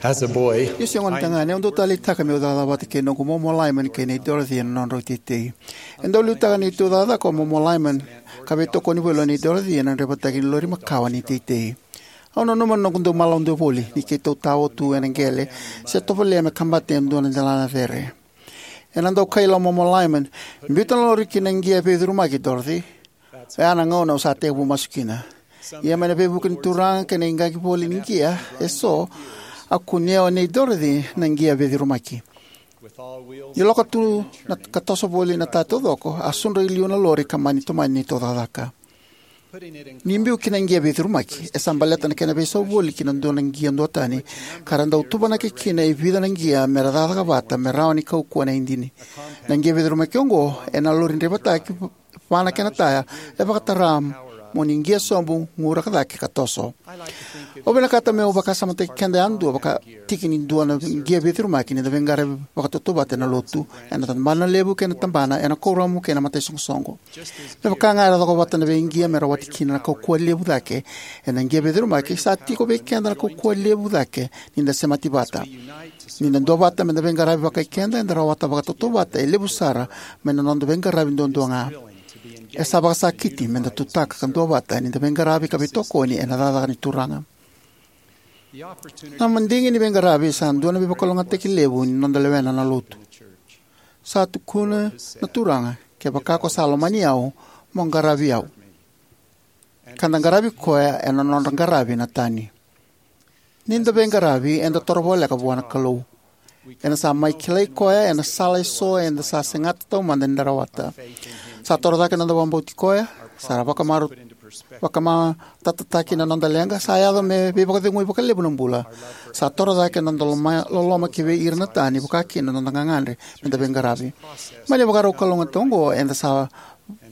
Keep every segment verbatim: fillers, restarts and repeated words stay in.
As a boy, niu se gone tagane, au dau taleitaka meu cakacaka vata kei noqu momo Lyman kei nei Dorothy ena nodrau teitei. E dau liutaka neitou cakacaka o momo Lyman ka veitokoni voli o nei Dorothy ena draivataki ni lori makawa ni teitei. Au nanuma na noqu dau malaude voli ni keitou tao tu ena qele se tovolea me kabata e dua na delana cere. Ena dau kaila o momo Lyman, "Biuta na lori ki na qia veicurumaki, Dorothy." Oya na gauna au sa tekivu masu kina. Ia mai na veivuke ni Turaga kei na iqaqi voli ni qia eso, a kunea o nei Dorothy na qia veicurumaki. Ni lako tu na ka toso voli na ta taucoko, a sudra i liu na lori ka mani tomani neitou cakacaka. Ni biu ki na qia veicurumaki e sa baleta na kena veisau voli ki na dua na qia duatani, ka ra dau tuvanaki kina e vica na qia me ra cakacaka vata me rawa ni kaukauwa na idini. Na qia veicurumaki oqo ena lori draivataki va na kena taya e vakatara mo ni qia sobu, guraka cake ka toso. Au vinakata meu vakasamataki keda yadua vakatiki ni dua na qia veicurumaki ni da veiqaravi vakatautauvata ena lotu, ena tabana levu kei na tabana, ena kuoramu kei na mataisoqosoqo. Me vaka ga era cokovata na veiqia me rawati kina na kaukauwa levu cake ena qia veicurumaki, sa tiko vei keda na kaukauwa levu cake ni da semati vata. Ni da duavata me da veiqaravi vakaikeda, eda rawata vakatautauvata e levu sara mai na noda veiqaravi duadua ga. E sa vakasakiti me da tutaka ka duavata ni da veiqaravi ka veitokoni ena cakacaka ni Turaga. Na madigi ni veiqaravi sa dua na veivakalougatataki levu ni noda lewena na lotu. Sa tukuna na Turaga, "Kevaka ko sa lomani au, mo qaravi au, ka da qaravi koya ena nodra qaravi na tani." Ni da veiqaravi, eda toro voleka vua na Kalou. Eda sa mai kilai koya ena sala eso eda sa segata taumada ni da rawata. Sa toro cake na noda vakabauti koya, sa ra vakamaru, vakamatatataki na noda leqa, sa yaco me veivakacegui vakalevu na bula. Sa toro cake na noda loma, loloma ki vei ira na tani, vaka kina na noda gagadre me da veiqaravi. Mai na ivakarau kalougata oqo, eda sa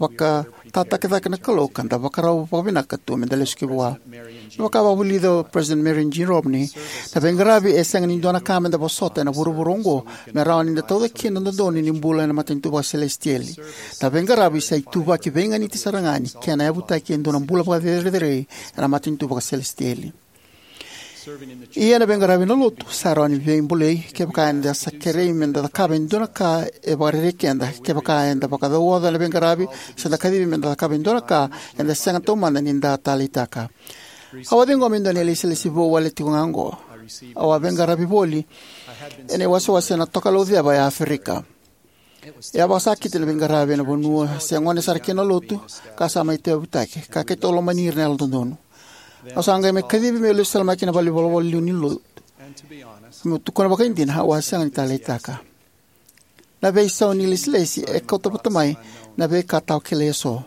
vakatataki cake na Kalou ka da vakarau vakavinaka tu me da lesu ki vua. Me vaka vakavulica o President Marion G. Romney, na veiqaravi e sega ni dua na ka me da vosota ena vuravura oqo me rawa ni da tauca kina na dodonu ni bula ena matanitu vakaselesitieli. Na veiqaravi sa ituvaki veiganiti sara ga ni kena yavutaki e dua na bula vakacerecerei ena matanitu vakaselesitieli. Ia na veiqaravi na lotu sa rawa ni veibulai kevaka eda sa kerei me da cakava e dua na ka e vakarerei keda. Kevaka eda vakacauoca na veiqaravi se da kacivi me da cakava e dua na ka, eda sega taumada ni da taleitaka. Au a ciqoma e dua na ilesilesi vou wale tiko ga oqo. Au a veiqaravi voli ena iwasewase ena Tokalau Ceva e Aferika. E a vakasakiti na veiqaravi ena vanua se gone sara kina na lotu, ka sa mai tauyavutaki, ka keitou lomani ira na Yalododonu. Au sa qai mai kacivi meu lesu tale mai ki na valenivolavola liu ni lotu. Meu tukuna vakaidina, au a sega ni taleitaka. Na veisau ni lesilesi e kauta vata mai na veika tawa kilai eso.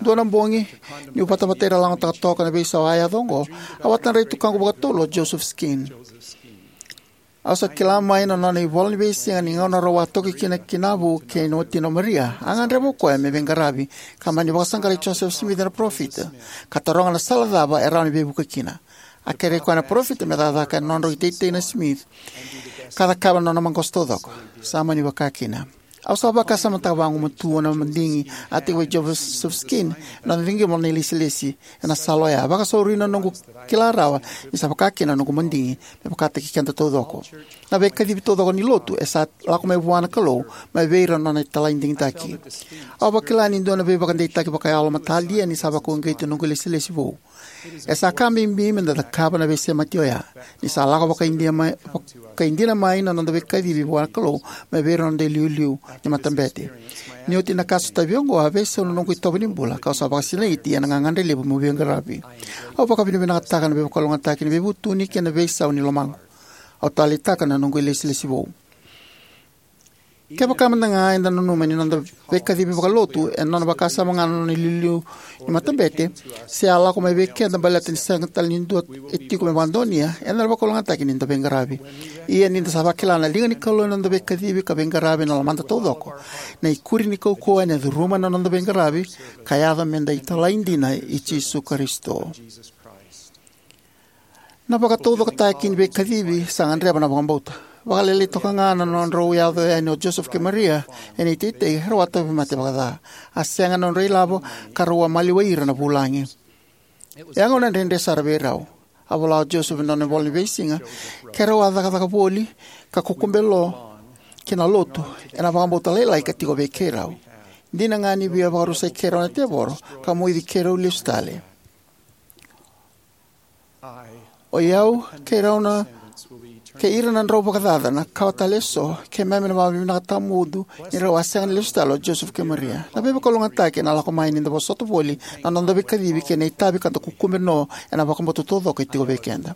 Dua na bogi, niu vatavata ira lagotaka toka na veisau a yaco oqo, au a tadra i tukaqu vakatolu o Joseph Skeen. Au sa kila mai na nona ivola ni veisiga ni gauna rau a toki kina ki Navu kei na watina o Maria, a gadreva o koya me veiqaravi, ka mani vakasaqarai Joseph Smith na parofita, ka taroga na sala cava e rawa ni veivuke kina. A kerei koya na parofita me cakacaka ena nodrau iteitei na Smith, ka cakava na nona maqosa taucoko. Sa mani vaka kina. Au sa vakasamataka vagumatua na madigi a tekivu vei Joseph Skeen ena nona ciqoma na ilesilesi ena sala oya, vakasauri na noqu kila rawa ni sa vaka kina na noqu madigi, me vakataki keda taucoko. Na veikacivi taucoko ni lotu e sa lako mai vua na Kalou, mai vei ira na nona italai digitaki. Au vakila ni dua na veivakadeitaki vakayalo matalia ni sa vakauqeti na noqu ilesilesi vou. E sa ka bibi me da cakava na veisemati oya, ni sa lako vakaidina mai, vakaidina mai na noda veikacivi vua na Kalou mai vei ira na noda iliuliu ni matabete. Ni oti na ka sotavi oqo, a veisau na noqu itovo ni bula, kau sa vakasinaiti ena gagadre levu meu veiqaravi. Au vakavinavinakataka na veivakalougatataki ni veivutuni kei na veisau ni lomaqu. Au taleitaka na noqu ilesilesi vou. Kevaka mada ga eda nanuma ni noda veikacivi vakalotu e nona vakasama ga na nona iliuliu ni matabete, se a lako mai vei keda baleta ni sega tale ni dua e tiko me vakadonuya, eda na vakalougatataki ni da veiqaravi. Ia ni da sa vakila na liga ni Kalou ena noda veikacivi ka veiqaravi ena lomada taucoko, na ikuri ni kaukauwa ena curuma na noda veiqaravi, ka yaco me da italai dina i Jisu Karisito. Na vakataucokotaki ni veikacivi sa gadreva na vakabauta. Vakalailai toka ga na nodrau yaco yani o Joseph kei Maria ena iteitei, rau a tauvimate vakaca. A sega na nodra ilavo, ka rau a maliwai ira na vulagi. E a gauna dredre sara vei rau. A vola o Joseph ena nona ivola ni veisiga, keirau a cakacaka voli ka kukube lo ki na lotu ena vakabauta lailai ka tiko vei keirau. Dina ga ni via vakarusai keirau na tevoro ka moici keirau lesu tale. O i au kei rau na kei ira na drau vakacaca na kawa tale eso, keimami na vakavinavinaka tawamudu ni rau a sega ni lesu tale o Joseph kei Maria. Na veivakalougatataki ena lako mai ni da vosota voli na noda veikacivi kei na itavi ka da kukube no ena vakabauta taucoko e tiko vei keda.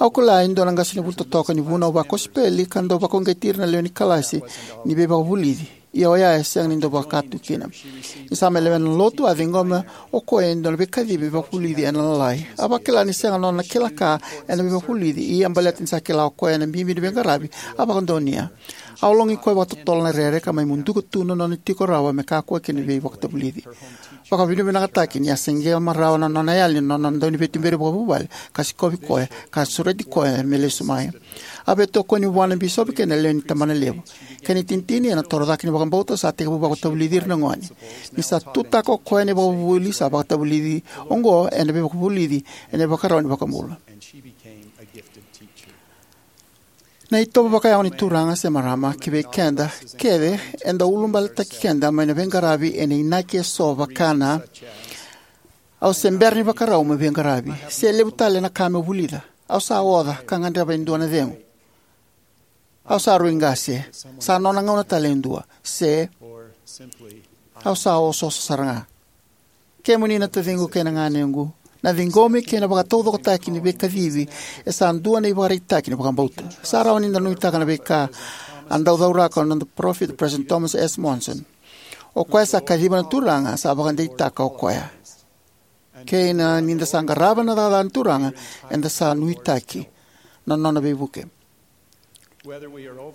Au kila e dua na qasenivuli totoka ni vunau vakosipeli ka dau vakauqeti ira na lewe ni kalasi ni veivakavulici, ia oya e sega ni dau vaka tu kina. Ni sa mai lewena na lotu, a ciqoma o koya e dua na veikacivi me vakavulici ena Lalai. A vakila ni sega nona kila ka ena veivakavulici, ia baleta ni sa kila o koya na bibi ni veiqaravi, a vakadonuya. A ologi koya vakatotolo na rere ka mai muduka tu na nona tiko rawa me kakua kina ni veivakavulici. Vakavinavinakataki ni a siqema rawa na nona yali na nona dauniveituberi vakavuvale ka sikovi koya ka sureti koya me lesu mai. A veitokoni vua na bisopi kei na lewe ni tabanalevu. Kena itinitini, ena toro cake ni vakabauta, sa tekivu vakatavulici ira na gone. Ni sa tutaka o koya na ivakavuvuli, sa vakatavulici oqo ena veivakavulici ena ivakarau ni iVakabula. Na itovo vakayago ni Turaga se marama ki vei keda kece e dau ulubaletaki keda mai na veiqaravi ena inaki eso vaka na: Au se bera ni vakarau meu veiqaravi, se levu tale na ka meu vulica, au sa oca ka gadreva e dua na cegu, au sa rui qase, sa nona gauna tale e dua, se au sa osooso sara ga. Kemuni na taciqu kei na ganequ, na ciqomi kei na vakataucokotaki ni veikacivi e sa dua na ivakaraitaki ni vakabauta. Sa rawa ni da nuitaka na veika a dau cauraka o noda parofita, President Thomas S. Monson. O koya sa kaciva na Turaga, sa vakadeitaka o koya. Kei na ni da sa qarava na cakacaka ni Turaga, eda sa nuitaki na nona veivuke.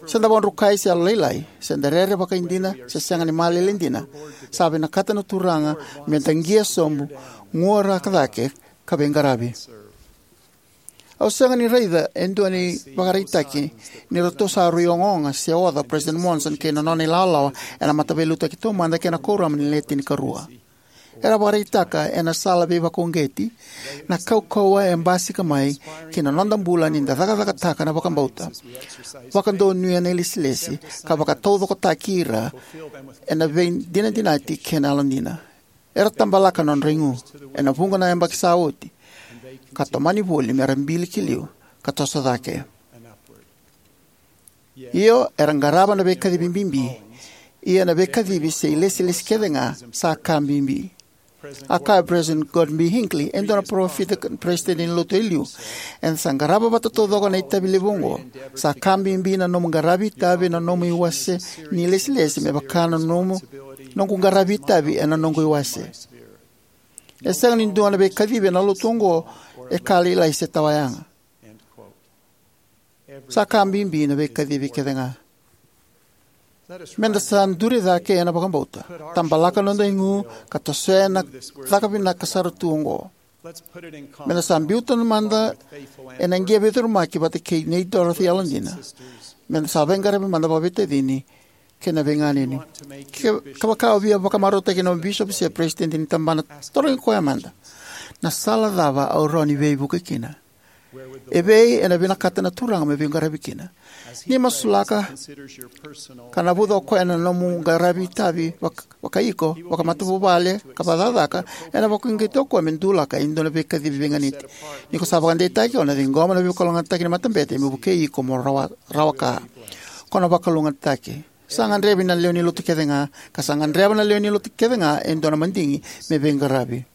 Se da vakadrukai se yalolailai, se da rere vakaidina se sega ni malele dina, sa vinakata na Turaga me da qia sobu, guaraka cake, ka veiqaravi. Au sega ni raica e dua na ivakaraitaki ni ratou sa rui ogaoga se oca o President Monson kei na nona ilawalawa ena Mataveiliutaki Taumada kei na Kuoramu ni Le Tinikarua. Era vakaraitaka ena sala veivakauqeti na kaukauwa e basika mai ki na noda bula ni da cakacakataka na vakabauta, vakadonuya na ilesilesi, ka vakataucokotaki ira ena veidinadinati kei na yalodina. Era tabalaka na nodra igu ena vuqa na yabaki sa oti, ka tomani voli mera bili ki liu ka toso cake. Io, era qarava na veikacivi bibi, ia na veikacivi se ilesilesi kece ga sa ka bibi. A kaya o President Gordon B. Hinckley, e dua na parofita ka peresitedi ni Lotu e liu, eda sa qarava vata taucoko na itavi levu oqo. Sa ka bibi na nomu qaravi itavi ena nomu iwase ni ilesilesi me vaka na nomu, noqu qaravi itavi ena noqu iwase. E sega ni dua na veikacivi ena lotu oqo e ka lailai se tawayaga. Sa ka bibi na veikacivi kece ga. Meda sa duri cake ena vakabauta, tabalaka noda igu, ka tosoya na caka vinaka sara tu oqo. Meda sa biuta mada ena qia veicurumaki vata kei nei Dorothy yalodina. Meda sa veiqaravi mada vakaveitacini kei na veiganeni. Ke, kevaka o via vakamarautaki na bisopi se peresitedi ni tabana, tarogi koya mada: Na sala cava au rawa ni veivuke kina? Evei ena vinakata na Turaga me veiqaravi kina? Ni masulaka ka navuca o koya na nomu qaravi itavi vak-, vakaiko, vakamatavuvale, ka vakacakacaka, ena vakauqeti o koya me dulaka e dua na veikacivi veiganiti. Ni ko sa vakadeitaki, o na ciqoma na veivakalougatataki ni matabete me vukei iko mo rawa, rawa ka. Ko na vakalougatataki. Sa gadrevi na lewe ni lotu kece ga, ka sa gadreva na lewe ni lotu kece ga e dua na madigi me veiqaravi.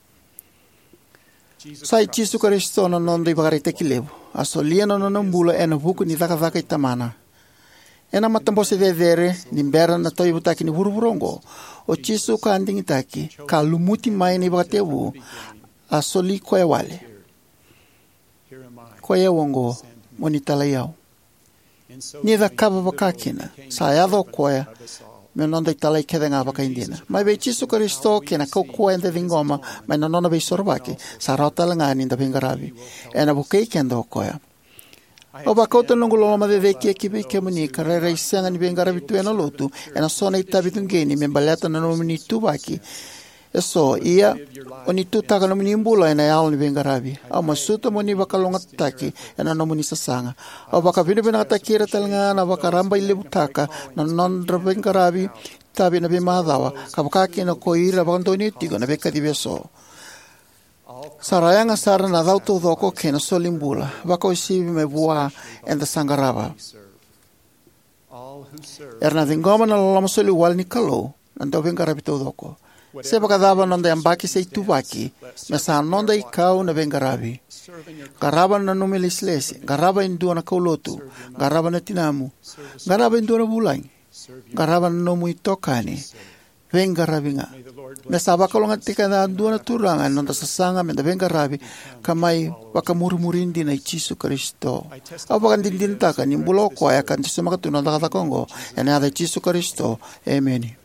Sa i Jisu Karisito na noda ivakaraitaki levu. A solia na nona bula ena vuku ni cakacaka i Tamana. Ena matabose cecere ni bera na tauyavutaki ni vuravura oqo, o Jisu ka a digitaki, ka lumuti mai na ivakatekivu, a soli koya wale: Koi au oqo, mo ni talai au. Ni cakava vaka kina, sa yaco o koya me noda italai kece ga vakaidina. Mai vei Jisu Karisito kei na kaukauwa eda ciqoma mai na nona veisorovaki, sa rawa tale ga ni da veiqaravi. Ena vukei keda o koya. Au vakauta na noqu loloma cecere ki vei kemuni ka rairai sega ni veiqaravi tu ena lotu ena so na itavi cuqeni me baleta na nomuni ituvaki eso, ia o ni tutaka na nomuni bula ena yalo ni veiqaravi. Au masuta mo ni vakalougatataki ena nomuni sasaga. Au vakavinavinakataki ira talega na vakarabailevutaka na nodra veiqaravi itavi ena veimacawa, ka vakakina ko ira era vakadonuya tiko na veikacivi eso. Sa ra yaga sara na cau taucoko kei na solibula, vakauasivi mai vua eda sa qarava. Era na ciqoma na loloma soliwale ni Kalou na dauveiqaravi taucoko. Se vakacava na noda yabaki se ituvaki, me sa noda ikau na veiqaravi. Qarava na nomu ilesilesi, qarava e dua na kaulotu, qarava na tinamu, qarava e dua na vulagi, qarava na nomu itokani. Veiqaravi ga. Me sa vakalougatataki yadua na Turaga ena noda sasaga meda veiqaravi ka mai vakamurimuri dina i Jisu Karisito. Au vakadinadinataka ni bula o koya ka dusimaka tu na cakacaka oqo ena yaca i Jisu Karisito. Emeni.